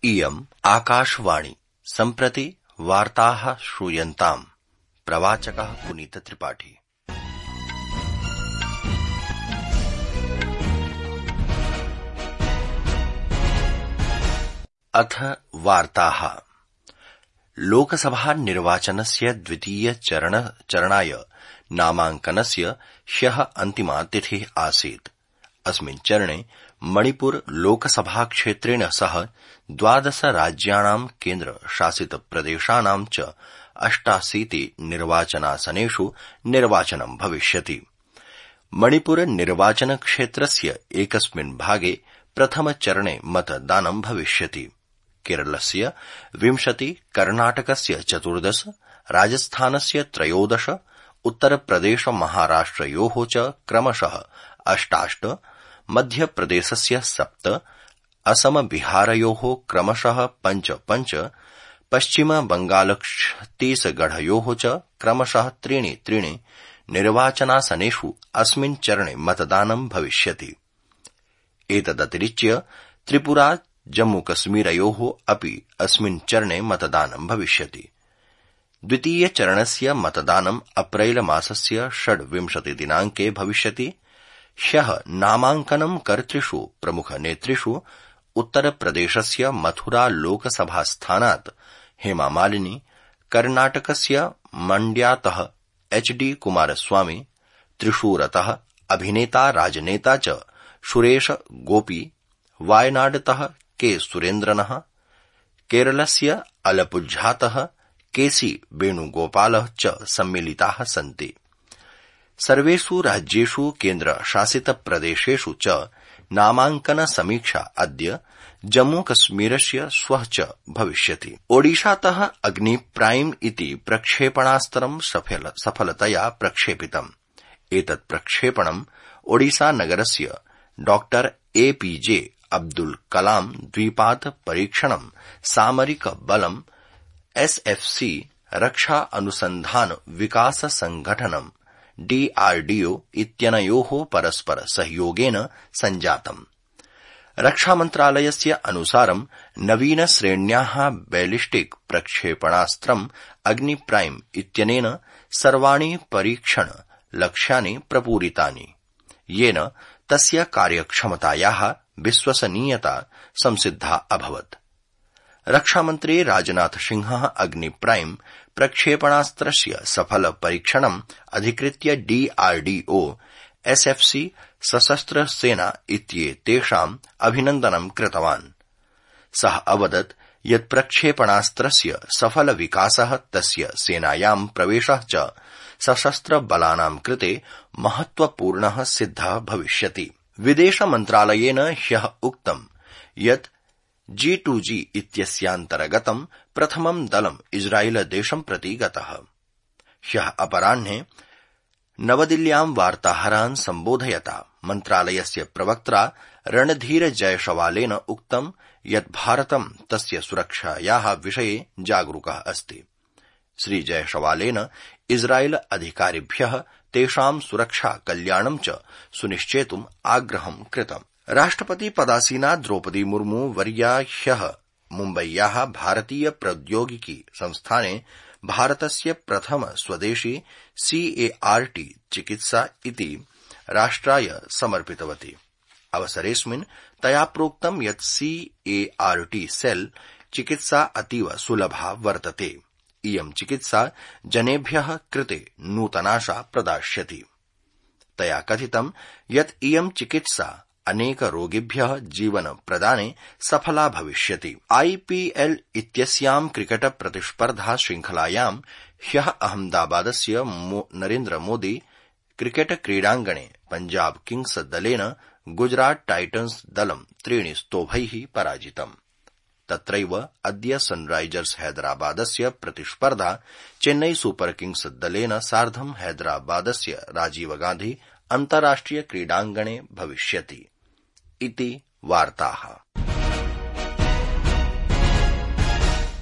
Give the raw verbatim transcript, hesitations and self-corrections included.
इयम् आकाशवाणी सम्प्रति वार्ताः श्रूयन्ताम्। प्रवाचकः पुनीत त्रिपाठी। अथ वार्ताः। लोकसभा निर्वाचनस्य द्वितीय चरण चरणाय नामाङ्कनस्य ह्यः अन्तिमा तिथिः आसीत्। अस्मिन् चरणे मणिपुर लोकसभा क्षेत्रेण सह द्वादश राज्याणां केन्द्र शासित प्रदेशानां च अष्टाशीति निर्वाचनासनेषु निर्वाचनं भविष्यति। मणिपुर निर्वाचन क्षेत्रस्य एकस्मिन् भागे प्रथमचरणे मतदानं भविष्यति। केरलस्य विंशति, कर्णाटकस्य चतुर्दश, राजस्थानस्य त्रयोदश, उत्तरप्रदेश महाराष्ट्रयोः च क्रमशः अष्टाष्ट, मध्यप्रदेशस्य सप्त, असम बिहारयोः क्रमशः पञ्च पञ्च, पश्चिम बंगाल छत्तीसगढयोः च क्रमशः त्रीणि त्रीणि निर्वाचनासनेषु अस्मिन् चरणे मतदानं भविष्यति। एतदतिरिच्य त्रिपुरा जम्मूकश्मीरयोः अपि अस्मिन् चरणे मतदानं भविष्यति। द्वितीयचरणस्य मतदानं अप्रैल मासस्य षड्विंशति दिनाङ्के भविष्यति। ह्यः नामाङ्कनं कर्तृषु प्रमुखनेतृषु उत्तरप्रदेशस्य मथुरा लोकसभास्थानात् हेमामालिनी, कर्णाटकस्य मण्ड्यातः एच डी कुमारस्वामी, त्रिशूरतः अभिनेता राजनेता च सुरेश गोपी, वायनाडतः के सुरेन्द्रनः, केरलस्य अलपुझातः केसी वेणुगोपालः च सम्मिलिताः सन्ति। सर्वेषु राज्येषु केन्द्रशासितप्रदेशेषु च नामाङ्कन समीक्षा अद्य जम्मूकश्मीरस्य श्वः च भविष्यति। ओडिशातः अग्नि प्राइम इति प्रक्षेपणास्त्रं सफल, सफलतया प्रक्षेपितम्। एतत् प्रक्षेपणं ओडिशानगरस्य डॉक्टर एपीजे अब्दुल कलाम द्वीपात् परीक्षणं सामरिक बलम् एसएफसी रक्षा अनुसन्धान विकास संघटनं डीआरडीओ इत्यनयोः परस्पर सहयोगेन सञ्जातम्। रक्षामन्त्रालयस्य अनुसारं नवीन श्रेण्याः बैलिस्टिक प्रक्षेपणास्त्रम् अग्नि प्राइम इत्यनेन सर्वाणि परीक्षण लक्ष्यानि प्रपूरितानि, येन तस्य कार्यक्षमतायाः विश्वसनीयता संसिद्धा अभवत्। रक्षामन्त्री राजनाथ सिंहः अग्नि प्राइम प्रक्षेपणास्त्रस्य सफल परीक्षणम् अधिकृत्य डीआरडीओ, एसएफसी, सशस्त्र सेना इत्येतेषाम् अभिनन्दनं कृतवान्। सः अवदत् यत् प्रक्षेपणास्त्रस्य सफल विकासः तस्य सेनायां प्रवेशः च सशस्त्र बलानां कृते महत्वपूर्णः सिद्धः भविष्यति। विदेश मन्त्रालयेन ह्यः उक्तं यत् जी टू जी इत्यस्यान्तर्गतं प्रथमं दलम् इस्राएलदेशं प्रति गतः। ह्यः अपराह्ने नवदिल्ल्यां वार्ताहरान् सम्बोधयता मन्त्रालयस्य प्रवक्त्रा रणधीर जयसवालेन उक्तं यत् भारतं तस्य सुरक्षायाः विषये जागरूकः अस्ति। श्री जयसवालेन इस्राएल अधिकारिभ्यः तेषां सुरक्षा कल्याणं च सुनिश्चेतुम् आग्रहं कृतम्। राष्ट्रपति पदासीना द्रौपदी मुर्मू वर्या ह्यः मुम्बय्याः भारतीय प्रौद्योगिकी संस्थाने भारतस्य प्रथम स्वदेशी सीएआरटी चिकित्सा इति राष्ट्राय समर्पितवती। अवसरेऽस्मिन् तया प्रोक्तं यत् सीएआरटी सेल चिकित्सा अतीव सुलभा वर्तते। इयं चिकित्सा जनेभ्यः कृते नूतनाशा प्रदास्यति। तया कथितं यत् इयं चिकित्सा अनेक रोगिभ्यः जीवन प्रदाने सफला भविष्यति। आईपीएल इत्यस्यां क्रिकेट प्रतिस्पर्धा श्रृंखलायां ह्यः अहमदाबादस्य नरेन्द्र मोदी क्रिकेट क्रीडाङ्गणे पंजाब किंग्स दलेन गुजरात टाइटन्स दलं त्रीणि स्तोभैः पराजितम्। तत्रैव अद्य सनराइजर्स हैदराबादस्य प्रतिस्पर्धा चेन्नई सुपर किंग्स दलेन सार्धं हैदराबादस्य राजीव गांधी अन्ताराष्ट्रिय क्रीडाङ्गणे भविष्यति। इति वार्ताः।